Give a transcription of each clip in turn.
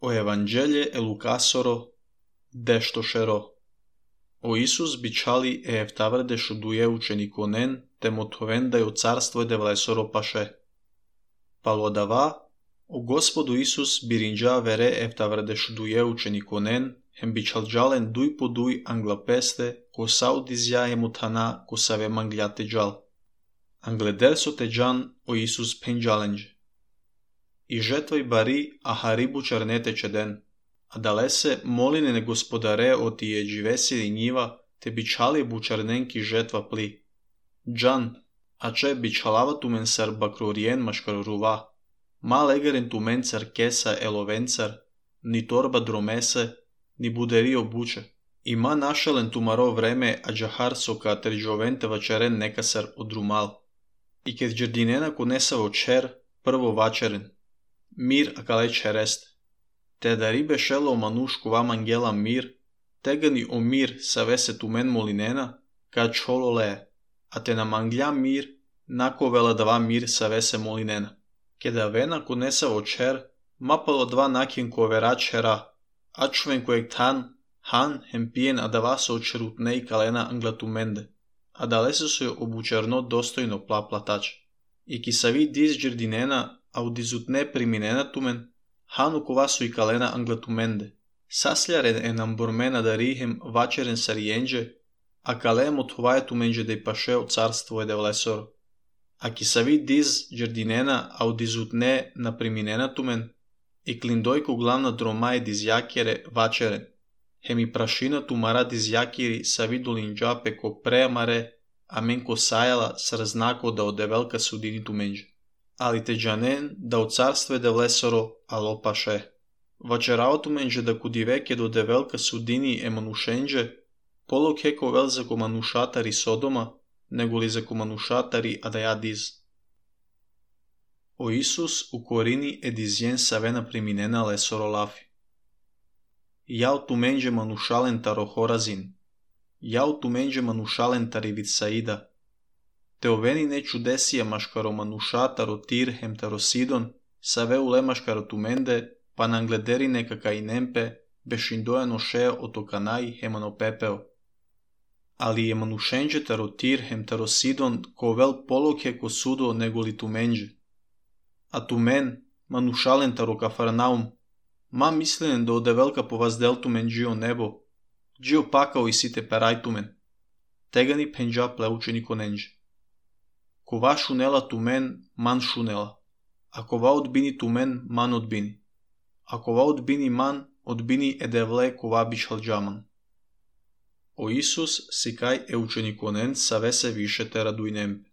O Evanghelie e Lucasoro, дештошеро. O Isus бичали ефтавреде шудуе учениконен, те мотовен да ја царство де влесоро паше. Палодава, о Господу Исус биринджа вере ефтавреде шудуе учениконен, хем бичалджален дуй по дуй англапесте, ко саудизя емутана, ко саве мангляте джал. Англедерсо те джан о Исус пенджаленджи. И жетвај бари, а харибу чернете чеден. А далесе молине не господаре оти е дживеси нива, те бичали бучарненки жетва пли. Джан, а че бичалава тумен сар бакрориен машкарурува. Мал егерен тумен цар кеса еловенцар, ни торба дромесе, ни будери обуче. Има нашален тумаро време, а джахар сока терджовенте вачерен некасар одрумал. И кед джердинена конеса вочер, прво вачерен. Мир акале черест. Те дари бешело о манушку вам ангела мир, тега ни о мир савесе тумен молинена, ка чоло лее, а те на мангля мир, нако вела два мир савесе молинена. Кеда вена конеса очер, мапало два накин ковера чера, а човен коек тан, хан хемпиен адава се очерутне и калена англатуменде, а далесе се обучерно достојно плаплатач. И ки сави диз джердинена, а удизутне приминена тумен, хану ковасу и калена англатуменде. Саслярен е намбормена да рихем вачерен сариенже, а калем от това е туменже да и паше от царство е девлесоро. А ки сави диз джердинена, а удизутне на приминена тумен, и клиндойко главна дрома е дизякере вачерен. Хеми прашина тумара дизякери сави долинджапе ко преамаре, а мен ко саяла срзнако да одевелка судини туменже. Али те джанен да от царство е девлесоро, ало паше. Вачераото менже да кудивеке до девелка судини е манушенже, поло кеко вел за команушатари Содома, него ли за команушатари Адаядиз. О Исус у корини е дизиен савена приминена лесоро лафи. Јао туменже манушален таро Хоразин, јао туменже манушален тари Витсаида, теовени не чудесија машкаро мануша таро Тир хем таро Сидон, саве уле машкаро туменде, па нангледери некака и немпе, бешиндојано шеја ото канај хемано пепео. Али е манушенже таро Тир хем таро Сидон, ковел полоке ко судо него ли туменже. А тумен, манушален таро Кафарнаум, ма мисленен да одевелка по ваздел тумен джио небо, джио пакао и сите перај тумен. Тега ни пенджа плеучени коненже. Кова шунела тумен, ман шунела. А кова одбини тумен, ман одбини. А кова одбини ман, одбини едевле кова бишалджаман. О Исус сикај е учениконен саве се више те радујнемпе.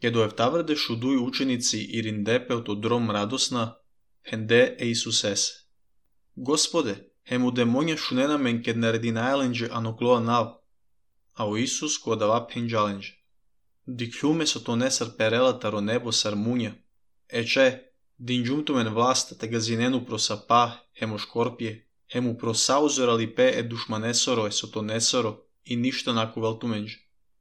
Кедо ефтавреде шудуј ученици и риндепе од дром радосна, хенде е Исусесе. Господе, хему демонја шунена мен кед нареди најаленџе аноклоа нав, а о Исус која дава пенџаленџе. Диклюме со то несар перела таро небо сар муња. Ече, динџумтумен власт те газинену просапа, хемо шкорпие, хему просаузорали пе е душманесоро е со то несоро и ништо накувал туменџе.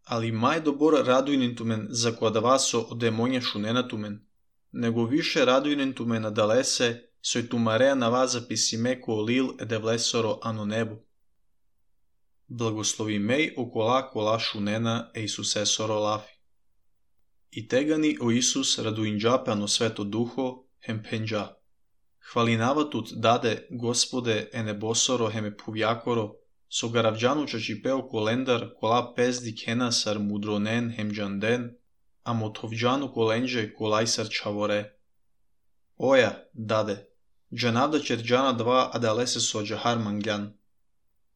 Али мај добор радујнен тумен за која дава со демонја шунена тумен. Него више радујнен тумен адалесе, сој тумареа на вас записиме ко лил е девлесоро ано небо. Благослови меј окола кола шунена е Исусесоро лафи. И тегани о Исус радуинџапе ано свето духо хем пенџа. Хвалинаватут даде Господе е небосоро хеме пувјакоро, со гаравџану чачипео колендар кола пезди кена сар мудронен хем джанден, а мотовџану коленџе колај сар чаворе. Оја, даде, джанавда черџана два адалесе со джахар манглян.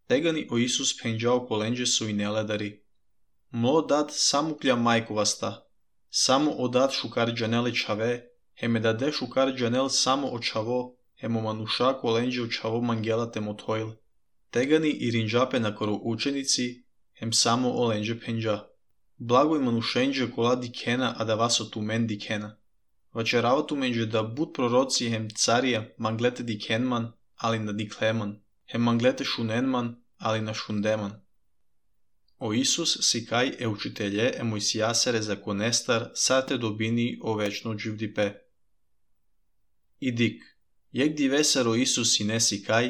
Тегани о Исус пенџао коленџе со инеледари. Мло дад саму кља мајковаста, само одат шукар джанеле чаве, хеме даде шукар джанел само о чаво, хемо мануша коленџе о чаво мангелате мотоиле. Тегани и ринџапе на коро ученици, хем само о ленџе пенџа. Благој манушенџе кола дикена адава со тумен дикена. Вачерава туменџе да буд пророци хем царија манглете дикенман, али на диклеман, хем манглете шуненман, али на шундеман. О Исус сикај е учителје е Мојсијасере законестар сате добини о вечно дживдипе. Идик, Егди весеро Исус и неси кај,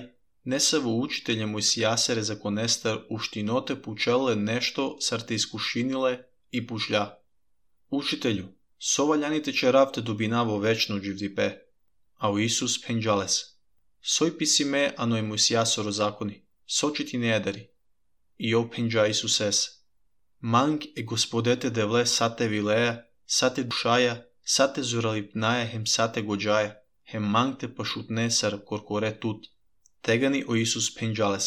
несаво учителје Мојсијасере законестар уштиноте пучеле нешто сар те искушиниле и пучља. Учителју, совалјаните черавте добина во вечно живдипе. Ау Исус пенџалес. Сој писиме аној Мојсијасоро закони, сочити не едари. И о пенџа Исусес. Манг е Господете девле сате вилеја, сате душаја, сате зуралипнаја хем сате гоџаја, хем манг те пашутне сар коркоре тут. Тегани о Исус пенџалес.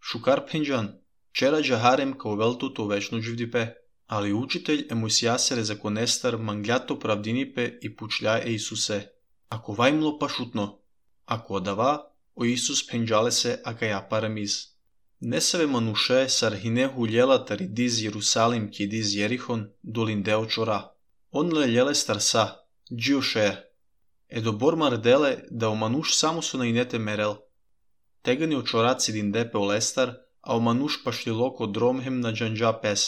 Шукар пенџан, чера джахарем као велтуто вечно живдипе, али учителј е Мојсијасере законестар манглјато правдинипе и пучља е Исусе. Ако вајмло пашутно, ако одава, о Исус пенџалесе акаја парамиз. Несаве мануше сар хинеху лјелатари диз Јерусалим ки диз Јерихон долин део чора. Он лелјеле старса, джиошеја. Едо бормар деле да о мануш само со наинете мерел. Тегани о чораци дин депе о лестар, а о мануш пашлилоко дромхем на джанџа пес.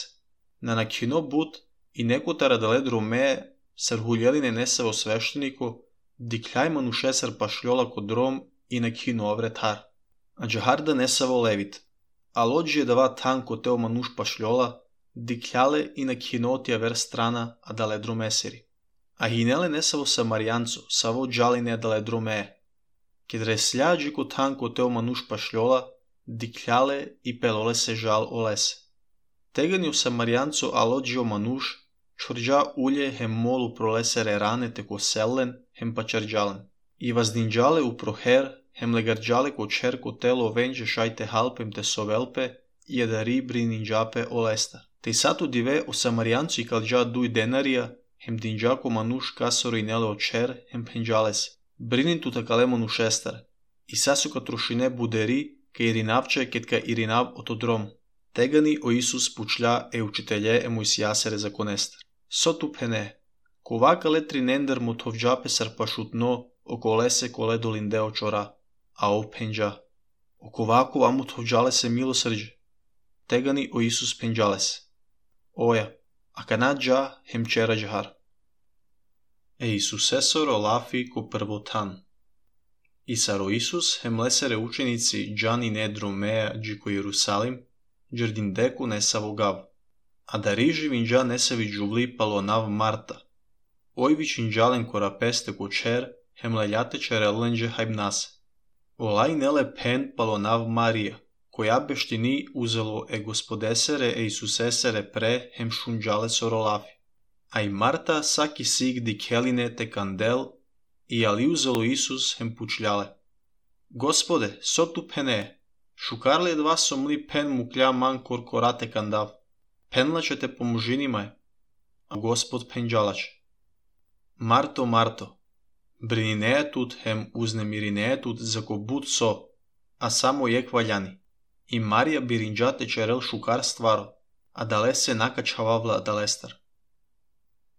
На накино бут и некотара дале дромее сар хулјелине несаво свештенико, диклјај мануше сар пашлјола ко дром и накино овретар. А джахарда несаво левит. А лоджи е дава танко тео мануш пашлјола, диклјале и накинотија вер страна, а дале дромесери. А хинеле несаво самаријанцо, саво джалине дале дромее. Кедре слјаджи ко танко тео мануш пашлјола, диклјале и пелоле се жал олесе. Тегани о самаријанцо алоджи о мануш, чорџа улје хем молу пролесере ранете ко селлен, хем пачарџален. И ваздинџале у прохер, хем легарџале ко чер ко тело венџе шајте халпем те совелпе, и едари брининџапе олестар. Те сато диве о самаријанцо и калџа дуј денарија, хем динџа ко мануш касоро и неле о чер, хем пенџалес. Бринин тута кале манушестар. И сасо ка трошине будери, ка иринавче кетка иринав ото дром. Тегани о Исус пучља е учителје е Мојсијасере законестар. Соту пене. Кова кале тринендер му товџапе сар пашутно, околесе коле долин део чора. А о пенџа. Окова му товџале се милосрđе. Тегани о Исус пенџалес. Оја, а канаџа хем чера джахар. Е Исусесоро лафи ко првотан. И саро Исус хем лесере ученици джани не дромеја джи ко Јерусалим, джердин деку не саво гав. А дари живинџа не сави джубли палонав Марта. Ојви чинџален корапесте ко чер, хем лељате череленџе хајбнасе. Олај неле пен палонав Марија, која бештини узело е Господесере е Исусесере пре хем шунџале соролафи. А и Марта саки сиг дикелине те кандел, и али узело Исус хем пучљале. Господе, соту пене, шукарле едва сомли пен мукља ман коркорате кандав. Пенлаче те поможинимај, а Господ пенџалаче. Марто, Марто, брининеја тут хем узнемиринеја тут за ко буд со, а само јек ваљани. И Марија биринџате черел шукар стваро, а дале се накачававла далестар.